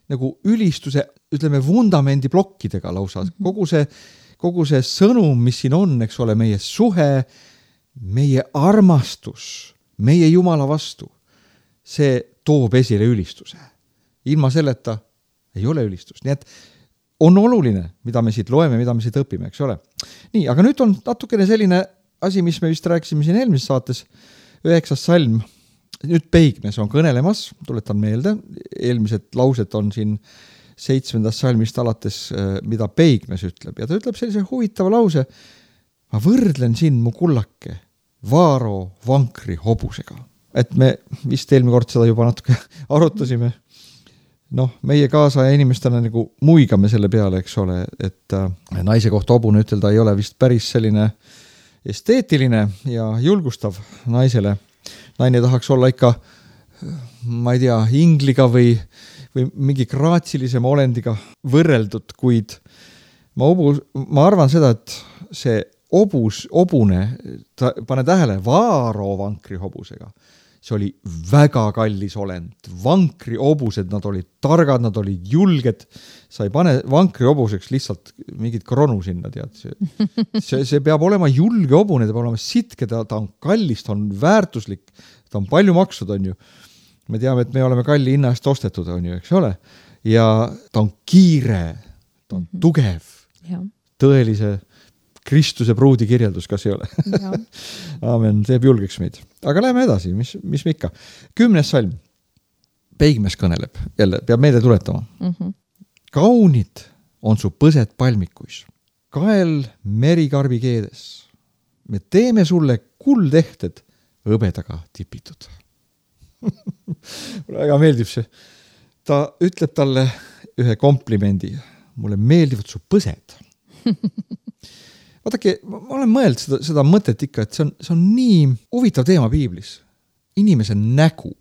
nagu ülistuse, ütleme, vundamendi plokkidega lausa. Kogu see sõnum, mis siin on, eks ole, meie suhe, meie armastus, meie Jumala vastu, see toob esile ülistuse. Ilma selleta ei ole ülistust. Nii et on oluline, mida me siit loeme, mida me siit õpime, eks ole. Nii, aga nüüd on natukene selline asi, mis me vist rääkisime siin eelmises saates, 9. salm. Nüüd Peigmes on kõnelemas, tuletan meelde, eelmised laused on siin 7. salmist alates, mida Peigmes ütleb. Ja ta ütleb sellise huvitava lause, ma võrdlen siin mu kullake Vaaro vankri hobusega. Et me vist eelmine kord seda juba natuke arutasime. Noh, meie kaasaja inimestena nagu muigame selle peale, eks ole, et naise kohta hobune ütelda ei ole vist päris selline esteetiline ja julgustav naisele. Naine tahaks olla ikka, ma ei tea, ingliga või mingi graatsilisema olendiga võrreldud, kuid ma arvan seda, et see obune, pane tähele, Vaaro vankri hobusega. See oli väga kallis olend. Vankri hobused, nad olid targad, nad olid julged. Sa ei pane vankri hobuseks lihtsalt mingit kronu sinna, tead. See peab olema julge hobune, ta peab olema sitke, ta on kallis, ta on väärtuslik, ta on palju maksud, on ju. Me teame, et me oleme kalli hinna eest ostetud, on ju, eks ole. Ja ta on kiire, ta on tugev, tõelise Kristuse pruudi kirjeldus, kas ei ole? Aamen, teeb julgeks meid. Aga läheme edasi, mis me ikka. 10. salm. Peigmes kõneleb. Jälle, peab meelde tuletama. Kaunid on su põsed palmikuis. Kael merikarbi keedes. Me teeme sulle kuldehted hõbedaga tipitud. Mulle väga meeldib see. Ta ütleb talle ühe komplimendi. Mulle meeldivad su põsed. Vaadake, ma olen mõeld seda mõtet ikka, et see on nii huvitav teema piiblis. Inimese nägu,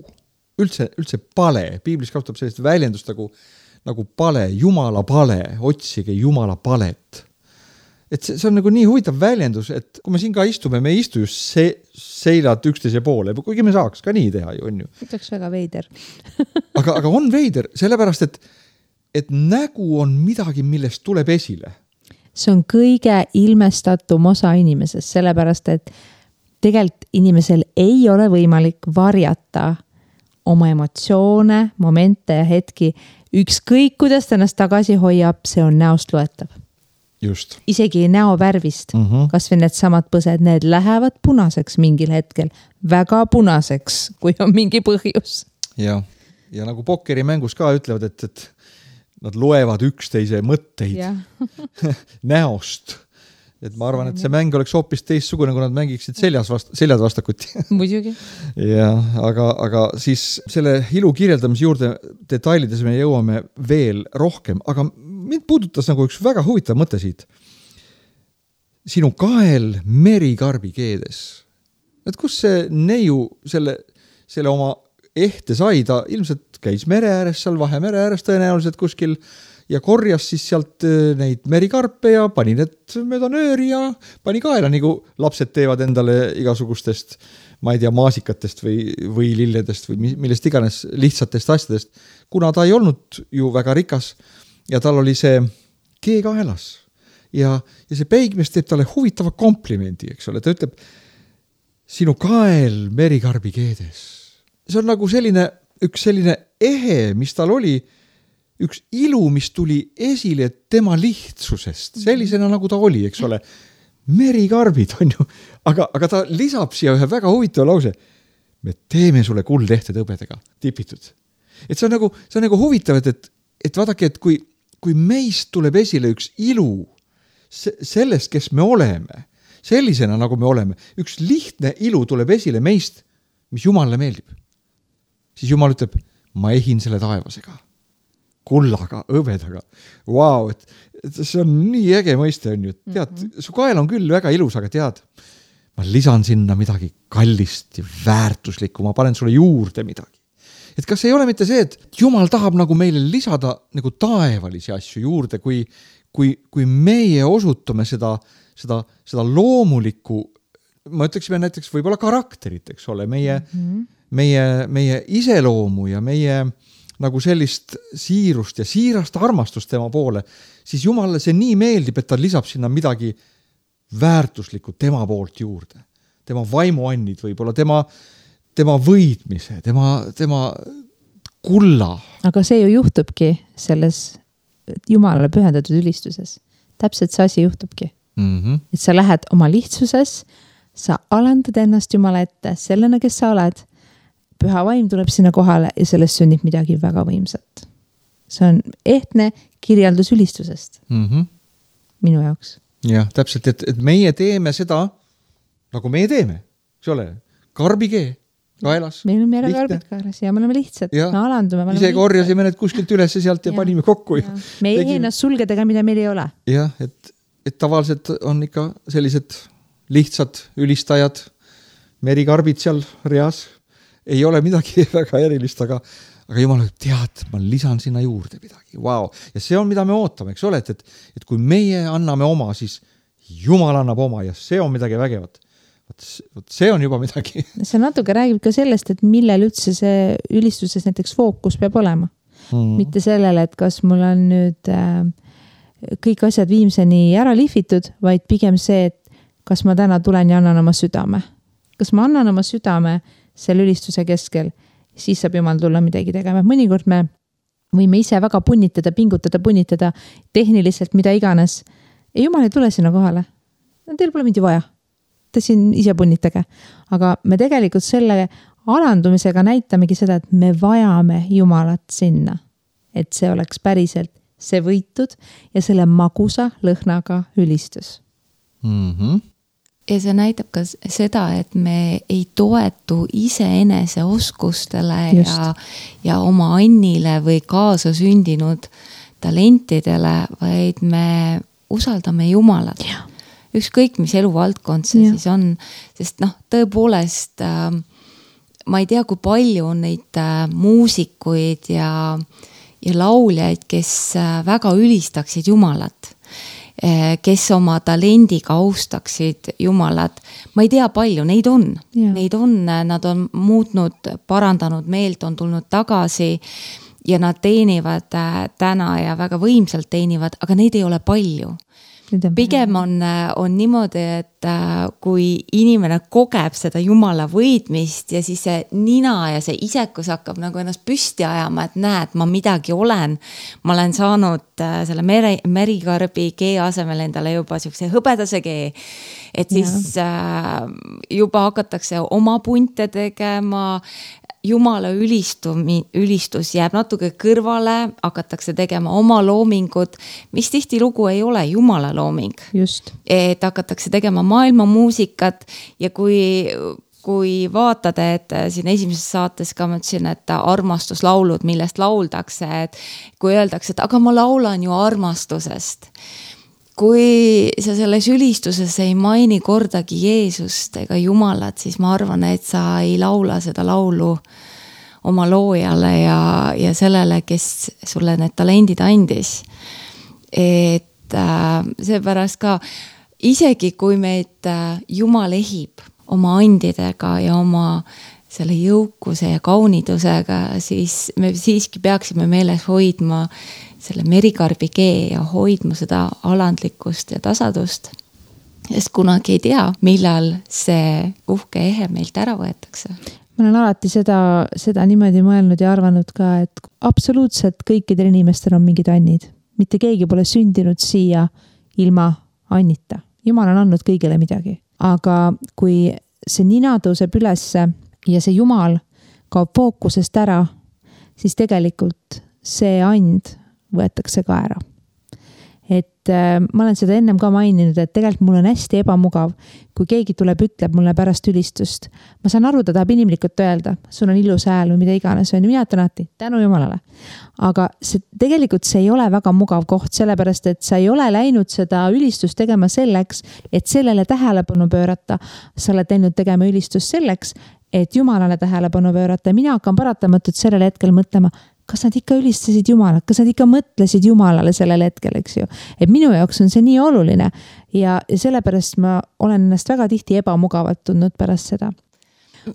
üldse pale. Piiblis kasutab sellist väljendust nagu pale, Jumala pale, otsige Jumala palet. Et see on nagu nii huvitav väljendus, et kui me siin ka istume, me ei istu just seilad üksteise poole, kuigi me saaks ka nii teha, on ju. Ütleks väga veider. aga on veider, sellepärast, et nägu on midagi, millest tuleb esile. See on kõige ilmestatum osa inimesest, sellepärast, et tegelikult inimesel ei ole võimalik varjata oma emotsioone, momente ja hetki. Ükskõik, kuidas ta ennast tagasi hoiab, see on näost loetav. Just. Isegi näo värvist, kas või need samad põsed, need lähevad punaseks mingil hetkel. Väga punaseks, kui on mingi põhjus. Ja nagu pokkeri mängus ka ütlevad, et nad loevad üksteise mõtteid näost. Et ma arvan, et see mäng oleks hoopis teistsugune, kui nad mängiksid seljad vastakuti. Muidugi. Ja, aga siis selle ilu kirjeldamise juurde detailides me jõuame veel rohkem, aga mind puudutas nagu üks väga huvitav mõte siit. Sinu kael merikarbi keedes. Et kus see neiu selle oma ehte sai, ta ilmselt käis mere ääres, seal Vahemere ääres tõenäoliselt kuskil ja korjas siis sealt neid merikarpe ja pani need mööda nööri ja pani kaela, nagu lapsed teevad endale igasugustest, ma ei tea, maasikatest või lilledest või millest iganes lihtsatest asjadest, kuna ta ei olnud ju väga rikas ja tal oli see kee kaelas ja see Peigmes teeb talle huvitava komplimendi, eks ole, ta ütleb, sinu kael merikarbi keedes. See on nagu üks selline ehe, mis tal oli, üks ilu, mis tuli esile tema lihtsusest, sellisena nagu ta oli, eks ole. merikarbid on ju, aga ta lisab siia ühe väga huvitava lause. Me teeme sulle kuldehted hõbedega tipitud. Et see on nagu huvitav, et vaadake, et kui meist tuleb esile üks ilu sellest, kes me oleme, sellisena nagu me oleme, üks lihtne ilu tuleb esile meist, mis Jumalale meeldib. Siis Jumal ütleb, ma ehin selle taevasega, kullaga, hõbedaga. Vau, et see on nii äge mõiste on ju. Tead, su kael on küll väga ilus, aga tead, ma lisan sinna midagi kallist ja väärtuslikku, ma panen sulle juurde midagi. Et kas ei ole mitte see, et Jumal tahab nagu meile lisada nagu taevalisi asju juurde, kui meie osutame seda loomulikku, ma ütleksime näiteks võib-olla karakterit, eks ole, meie iseloomu ja meie nagu sellist siirust ja siirast armastust tema poole, siis Jumalale see nii meeldib, et ta lisab sinna midagi väärtuslikku tema poolt juurde. Tema vaimuannid võib-olla, tema võidmise, tema kulla. Aga see ju juhtubki selles Jumalale pühendatud ülistuses. Täpselt see asi juhtubki. Et sa lähed oma lihtsuses, sa alandad ennast Jumala ette sellena, kes sa oled. Püha vaim tuleb sinna kohale ja sellest sünnib midagi väga võimsat. See on ehtne kirjeldus ülistusest. Minu jaoks. Jah, täpselt, et meie teeme seda, nagu meie teeme, eks ole, karbikee kaelas. Meil on mere karbid kaelas ja me oleme lihtsad. Ja. Me alandume. Ise korjasime need kuskilt üles sealt ja panime kokku. Ja. Me ei ennast sulgedega, mida meil ei ole. Jah, et tavaliselt on ikka sellised lihtsad ülistajad, merikarbid seal reas. Ei ole midagi väga erilist, aga Jumal tead, ma lisan sinna juurde midagi. Wow. Ja see on, mida me ootame, eks ole, et kui meie anname oma, siis Jumal annab oma ja see on midagi vägevat. See on juba midagi. See natuke räägib ka sellest, et millel üldse see ülistuses näiteks fookus peab olema. Mitte sellele, et kas mul on nüüd kõik asjad viimseni ära lihvitud, vaid pigem see, et kas ma täna tulen ja annan oma südame. Kas ma annan oma südame selle ülistuse keskel, siis saab Jumal tulla midagi tegema. Mõnikord me võime ise väga punnitada, punnitada tehniliselt, mida iganes. Ja Jumal ei tule sinna kohale. Teil pole mind ju vaja. Te siin ise punnitage. Aga me tegelikult selle alandumisega näitamegi seda, et me vajame Jumalat sinna. Et see oleks päriselt see võitud ja selle magusa lõhnaga ülistus. Ja see näitab ka seda, et me ei toetu iseenese oskustele ja oma annile või kaasa sündinud talentidele, vaid me usaldame Jumalat. Ükskõik, mis eluvaldkond see siis on, sest tõepoolest ma ei tea, kui palju on neid muusikuid ja lauljaid, kes väga ülistaksid Jumalat, kes oma talendiga austaksid Jumalat. Ma ei tea palju, neid on. Neid on, nad on muutnud, parandanud meelt, on tulnud tagasi ja nad teenivad täna ja väga võimsalt teenivad, aga neid ei ole palju. Pigem on niimoodi, et kui inimene kogeb seda Jumala võidmist ja siis see nina ja see isekus hakkab nagu ennast püsti ajama, et näed, ma midagi olen. Ma olen saanud selle merikarbi kee asemel endale juba siukse hõbedase kee. Et siis juba hakatakse oma punte tegema, Jumala ülistus jääb natuke kõrvale, hakatakse tegema oma loomingut, mis tihti lugu ei ole Jumala looming. Just. Et hakatakse tegema maailma muusikat ja kui vaatad, et siin esimeses saates ka mõtlesin, et armastuslaulud, millest lauldakse, et kui öeldakse, et aga ma laulan ju armastusest. Kui sa selles ülistuses ei maini kordagi Jeesust ega Jumalat, siis ma arvan, et sa ei laula seda laulu oma loojale ja sellele, kes sulle need talendid andis. Et seepärast ka isegi kui meid Jumal ehib oma andidega ja oma selle jõukuse ja kaunidusega, siis me siiski peaksime meeles hoidma selle merikarbi kee ja hoidma seda alandlikkust ja tasadust. Sest kunagi ei tea, millal see uhke ehe meilt ära võetakse. Ma olen alati seda niimoodi mõelnud ja arvanud ka, et absoluutselt kõikidel inimestel on mingid annid. Mitte keegi pole sündinud siia ilma annita. Jumal on andnud kõigile midagi, aga kui see nina tõuseb ülesse ja see Jumal kaob fookusest ära, siis tegelikult see and võetakse ka ära. Et ma olen seda ennem ka maininud, et tegelikult mul on hästi ebamugav, kui keegi tuleb, ütleb mulle pärast ülistust. Ma saan aru, ta tahab inimlikult öelda, sul on ilus hääl või mida iganes, mina ütlen alati, tänu Jumalale. Aga tegelikult see ei ole väga mugav koht, sellepärast, et sa ei ole läinud seda ülistust tegema selleks, et sellele tähelepanu pöörata. Sa oled läinud tegema ülistust selleks, et Jumalale tähelepanu pöörata. Mina hakkan paratamatult sellel hetkel mõtlema, kas nad ikka ülistasid Jumalat, kas nad ikka mõtlesid Jumalale sellel hetkel, eks ju. Et minu jaoks on see nii oluline ja sellepärast ma olen ennast väga tihti ebamugavalt tundnud pärast seda.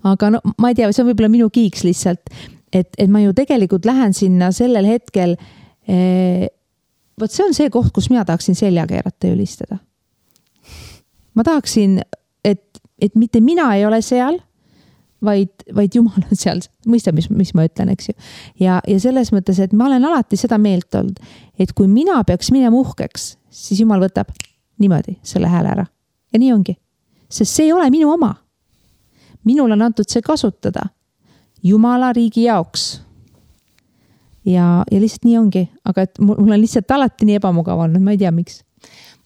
Aga no, ma ei tea, see on võib-olla minu kiiks lihtsalt, et ma ju tegelikult lähen sinna sellel hetkel, võt see on see koht, kus mina tahaksin selja keerata ja ülistada. Ma tahaksin, et mitte mina ei ole seal, vaid Jumal on seal, mõista, mis ma ütlen, eks ju. Ja selles mõttes, et ma olen alati seda meelt olnud, et kui mina peaks minema uhkeks, siis Jumal võtab niimoodi selle hääle ära. Ja nii ongi. Sest see ei ole minu oma. Minul on antud see kasutada Jumala riigi jaoks. Ja lihtsalt nii ongi. Aga et mul on lihtsalt alati nii ebamugav olnud, ma ei tea, miks.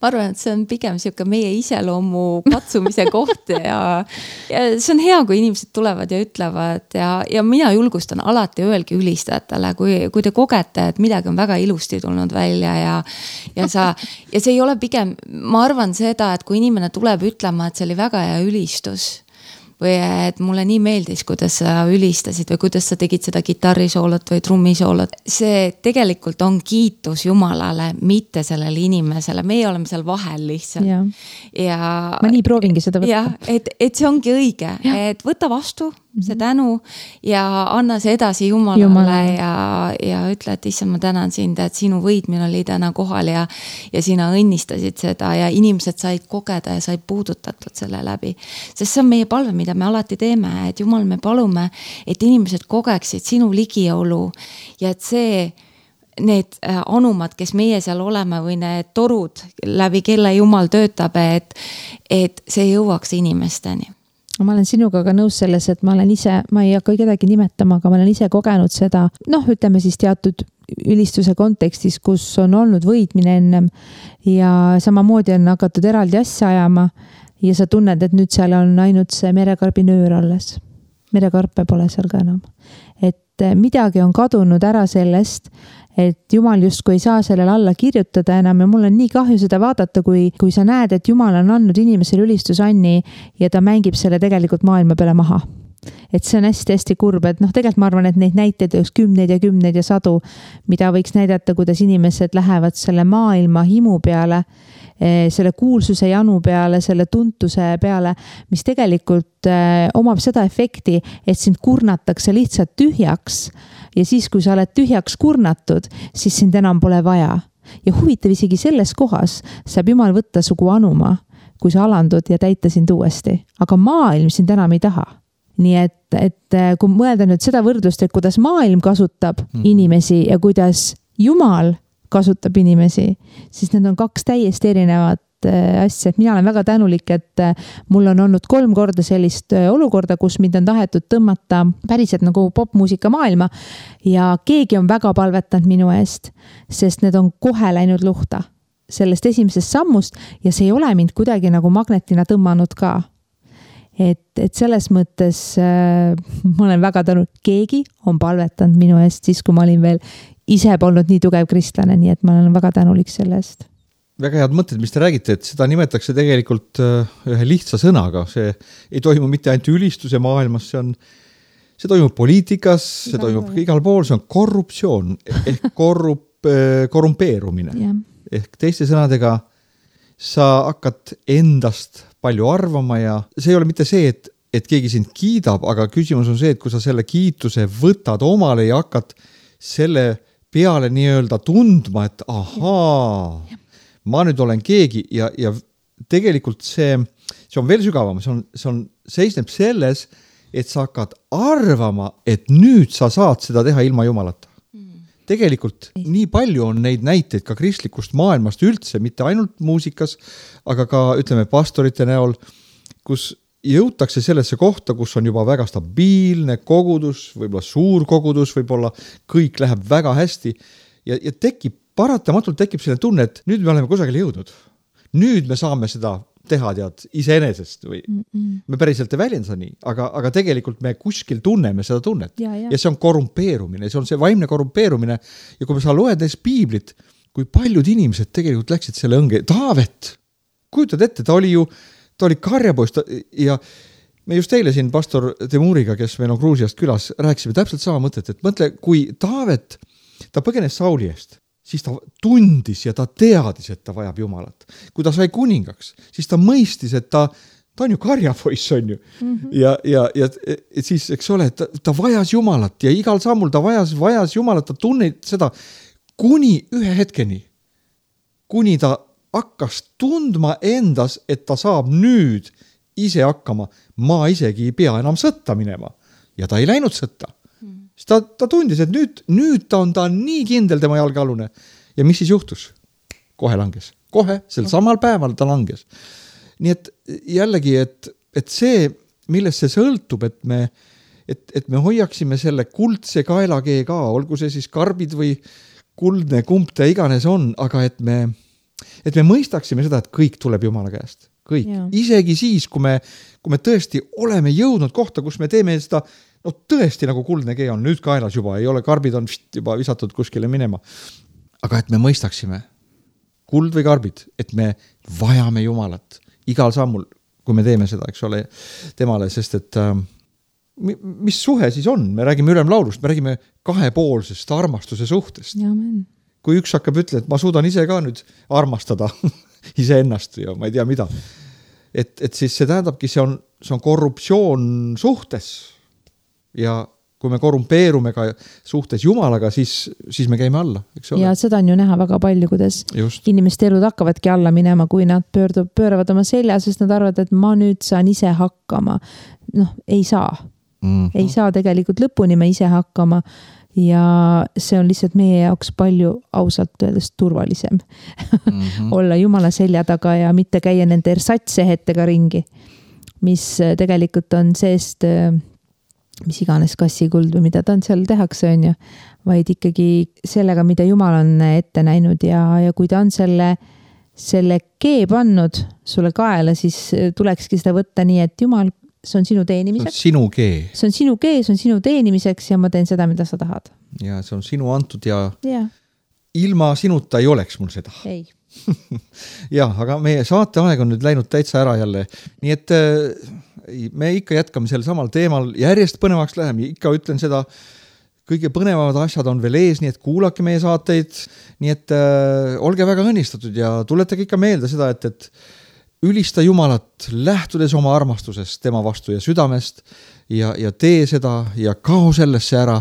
Ma arvan, et see on pigem siuke meie iseloomu katsumise koht ja see on hea, kui inimesed tulevad ja ütlevad ja mina julgustan alati öelgi ülistajatele, kui te kogete, et midagi on väga ilusti tulnud välja ja see ei ole pigem, ma arvan seda, et kui inimene tuleb ütlema, et see oli väga hea ülistus või et mulle nii meeldis, kuidas sa ülistasid või kuidas sa tegid seda kitarrisoolot või trummisoolot. See tegelikult on kiitus Jumalale, mitte sellele inimesele. Meie oleme seal vahel lihtsalt. Ja ma nii proovingi seda võtta. Ja, et see ongi õige, et võta vastu see tänu ja anna see edasi Jumalale ja ütle, et issand, ma tänan sind, et sinu võidmine oli täna kohal ja sina õnnistasid seda ja inimesed said kogeda ja said puudutatud selle läbi. Sest see on meie palve, mida me alati teeme, et Jumal, me palume, et inimesed kogeksid sinu ligiolu ja et see need anumad, kes meie seal oleme või need torud läbi kelle Jumal töötab, et see jõuaks inimesteni. Ma olen sinuga ka nõus selles, et ma olen ise, ma ei hakka kedagi nimetama, aga ma olen ise kogenud seda, ütleme siis teatud ülistuse kontekstis, kus on olnud võidmine ennem ja samamoodi on hakatud eraldi asja ajama ja sa tunned, et nüüd seal on ainult see merekarbinöör alles. Merekarpe pole seal ka enam. Et midagi on kadunud ära sellest, et Jumal justkui ei saa sellele alla kirjutada enam ja mul on nii kahju seda vaadata, kui sa näed, et Jumal on andnud inimesele ülistusanni ja ta mängib selle tegelikult maailma peale maha. Et see on hästi-hästi kurb, et tegelikult ma arvan, et neid näiteid oleks kümneid ja sadu, mida võiks näidata, kuidas inimesed lähevad selle maailma himu peale, selle kuulsuse janu peale, selle tuntuse peale, mis tegelikult omab seda efekti, et sind kurnatakse lihtsalt tühjaks ja siis, kui sa oled tühjaks kurnatud, siis sind enam pole vaja. Ja huvitav isegi selles kohas saab Jumal võtta sugu anuma, kui sa alandud ja täita sind uuesti. Aga maailm sind enam ei taha. Nii et kui mõelda nüüd seda võrdlust, et kuidas maailm kasutab inimesi ja kuidas Jumal kasutab inimesi, siis need on kaks täiesti erinevat asja. Mina olen väga tänulik, et mul on olnud 3 korda sellist olukorda, kus mind on tahetud tõmmata päriselt nagu popmuusika maailma ja keegi on väga palvetanud minu eest, sest need on kohe läinud luhta sellest esimesest sammust ja see ei ole mind kuidagi nagu magnetina tõmmanud ka. Et selles mõttes ma olen väga tänulik, keegi on palvetanud minu eest siis, kui ma olin veel ise polnud nii tugev kristlane, nii et ma olen väga tänulik selle eest. Väga head mõtted, mis te räägite, et seda nimetakse tegelikult ühe lihtsa sõnaga. See ei toimu mitte ainult ülistuse maailmas, see toimub poliitikas, see toimub igal pool, see on korruptsioon ehk korrumpeerumine. Ehk teiste sõnadega sa hakkad endast palju arvama ja see ei ole mitte see, et keegi sind kiidab, aga küsimus on see, et kui sa selle kiituse võtad omale ja hakkad selle peale nii-öelda tundma, et ahaa, ma nüüd olen keegi ja tegelikult see on veel sügavam, see seisneb selles, et sa hakkad arvama, et nüüd sa saad seda teha ilma Jumalata. tegelikult nii palju on neid näiteid ka kristlikust maailmast üldse, mitte ainult muusikas, aga ka ütleme pastorite näol, kus jõutakse sellesse kohta, kus on juba väga stabiilne kogudus, võib-olla suur kogudus, võib-olla kõik läheb väga hästi ja paratamatult tekib selline tunne, et nüüd me oleme kusagile jõudnud. Nüüd me saame seda teha iseenesest või me päriselt ei väljenda nii, aga tegelikult me kuskil tunneme seda tunnet ja see on korrumpeerumine, see on see vaimne korrumpeerumine ja kui me saa loed neist piiblit, kui paljud inimesed tegelikult läksid selle õnge, Taavet, kujutad ette, ta oli karjapoist ja me just eile siin pastor Temuriga, kes meil on Gruusiast külas, rääkisime täpselt sama mõtet, et mõtle, kui Taavet, ta põgenes Sauli eest, siis ta tundis ja ta teadis, et ta vajab Jumalat. Kui ta sai kuningaks, siis ta mõistis, et ta on ju karjapoiss, on ju. Ja siis, eks ole, ta vajas Jumalat ja igal sammul ta vajas Jumalat, ta tunned seda kuni ühe hetkeni, kuni ta hakkas tundma endas, et ta saab nüüd ise hakkama, ma isegi ei pea enam sõtta minema ja ta ei läinud sõtta. Ta tundis, et nüüd ta on nii kindel tema jalgealune. Ja mis siis juhtus? Kohe langes. Kohe, sel samal päeval ta langes. Nii et jällegi, et see, millest see sõltub, et me hoiaksime selle kuldse kaelakee ka, olgu see siis karbid või kuldne kump ta iganes on, aga et me mõistaksime seda, et kõik tuleb Jumala käest. Kõik. Ja. Isegi siis, kui me tõesti oleme jõudnud kohta, kus me teeme seda tõesti nagu kuldne kee on nüüd kaelas juba, ei ole karbid on juba visatud kuskile minema. Aga et me mõistaksime kuld või karbid, et me vajame Jumalat igal sammul, kui me teeme seda, eks ole, temale, sest et mis suhe siis on? Me räägime ülemlaulust, me räägime kahepoolsest armastuse suhtest. Amen. Kui üks hakkab ütlema, et ma suudan ise ka nüüd armastada iseennast ja ma ei tea mida. Et siis see tähendabki, see on korruptsioon suhtes. Ja kui me korrumpeerume ka suhtes Jumalaga, siis me käime alla, eks ole? Ja seda on ju näha väga palju, kuidas inimeste elud hakkavadki alla minema, kui nad pööravad oma selja, sest nad arvavad, et ma nüüd saan ise hakkama. Ei saa. Ei saa tegelikult lõpuni me ise hakkama ja see on lihtsalt meie jaoks palju ausalt öeldes turvalisem olla Jumala selja taga ja mitte käia nende ersatsehetega ringi, mis tegelikult on seest mis iganes kassikuld või mida ta on seal tehakse, on ju, vaid ikkagi sellega, mida Jumal on ette näinud ja kui ta on selle kee pannud sulle kaela, siis tulekski seda võtta nii, et Jumal, see on sinu teenimiseks. See on sinu kee. See on sinu kee, see on sinu teenimiseks ja ma teen seda, mida sa tahad. Ja see on sinu antud ja ilma sinuta ei oleks mul seda. Ei. Ja, aga meie saateaeg on nüüd läinud täitsa ära jälle. Nii et me ikka jätkame sel samal teemal, järjest põnevaks läheme, ikka ütlen seda, kõige põnevavad asjad on veel ees, nii et kuulake meie saateid, nii et olge väga õnnistatud ja tuletage ikka meelde seda, et ülista Jumalat lähtudes oma armastusest tema vastu ja südamest ja tee seda ja kao sellesse ära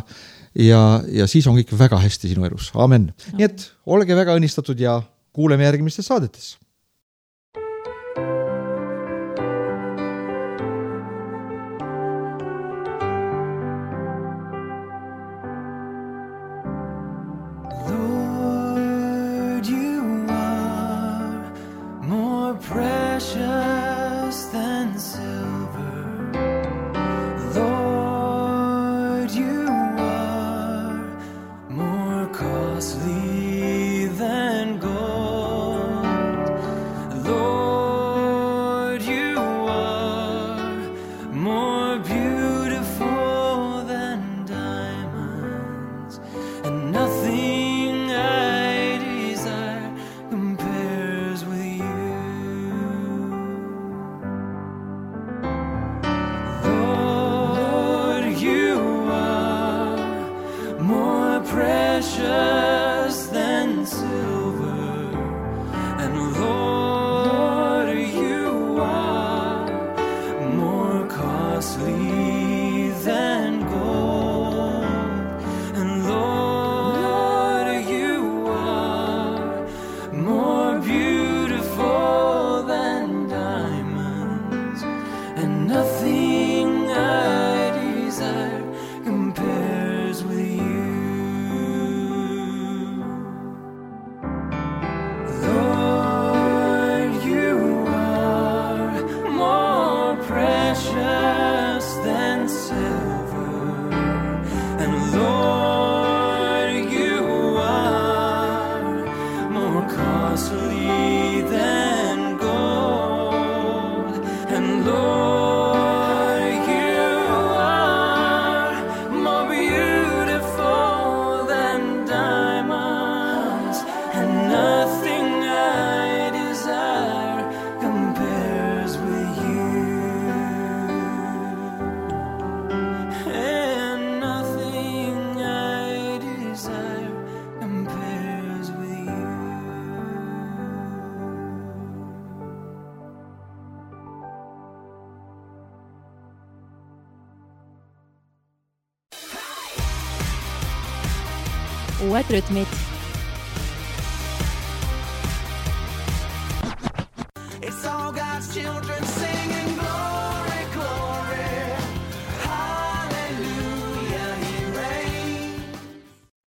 ja siis on kõik väga hästi sinu elus. Amen. Nii et olge väga õnnistatud ja kuuleme järgmistes saadetes. uued rütmid. It's all God's children